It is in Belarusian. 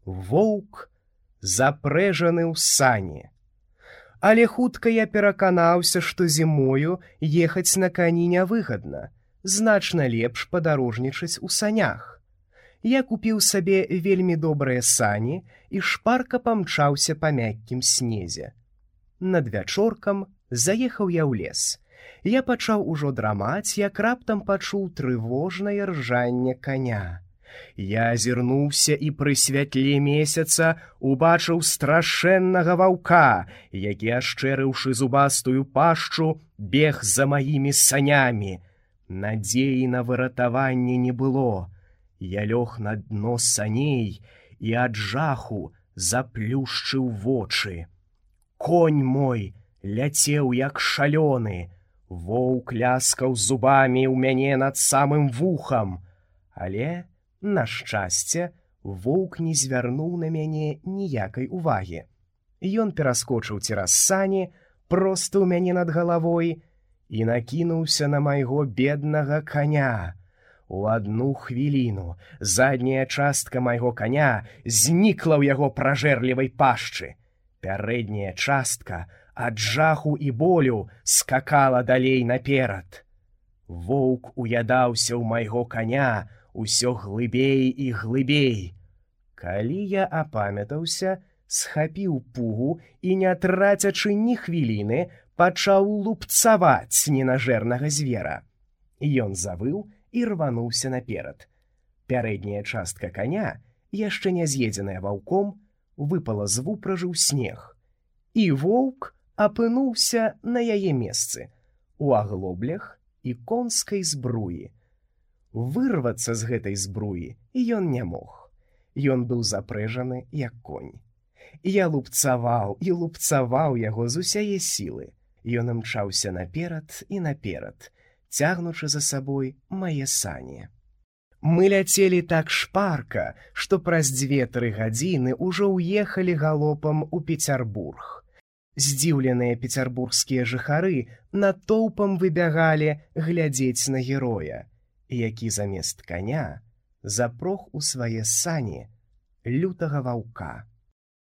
Воўк запрэжаны ў сані. Але хутка я пераканаўся, што зімою ехаць на кані нявыгадна, значна лепш падарожнічаць у санях. Я купіў сабе вельмі добрыя сані і шпарка памчаўся па мяккім снезе. Над вячоркам заехаў я ў лес. Я пачаў ужо драмаць, як раптам пачуў трывожнае ржанне каня. Я азірнуўся і пры святле месяца убачыў страшэннага ваўка, які, ашчэрыўшы зубастую пашчу, бег за маімі санямі. Надзеі на выратаванне не было. Я лёг на дно саней і ад жаху заплюшчыў вочы. Конь мой ляцеў як шалёны. Воўк ляскаў зубамі ў мяне над самым вухам. Але, на шчасце, воўк не звярнуў на мяне ніякай увагі. Ён пераскочыў цераз сані, проста ў мяне над галавой, і накінуўся на майго беднага каня. У адну хвіліну задняя частка майго каня знікла ў яго пражэрлівай пашчы. Пярэдняя частка ад жаху і болю скакала далей наперад. Воўк уядаўся ў майго каня усё глыбей і глыбей. Калі я апамятаўся, схапіў пугу і, не трацячы ні хвіліны, пачаў лупцаваць ненажэрнага звера. Ён завыў і рвануўся наперад. Пярэдняя частка каня, яшчэ не з'едзеная ваўком, выпала з вупражы ў снег. І воўк апынуўся на яе месцы, у аглоблях і конскай збруі. Вырвацца з гэтай збруі ён не мог. Ён быў запрэжаны, як конь. Я лупцаваў і лупцаваў яго з усяе сілы. Ён імчаўся наперад і наперад, цягнучы за сабой мае сані. Мы ляцелі так шпарка, што праз 2-3 гадзіны ўжо ўехалі галопам у Пецярбург. Здзіўленыя пецярбургскія жыхары натоўпам выбягалі глядзець на героя, які замест каня запрог у свае сані лютага ваўка.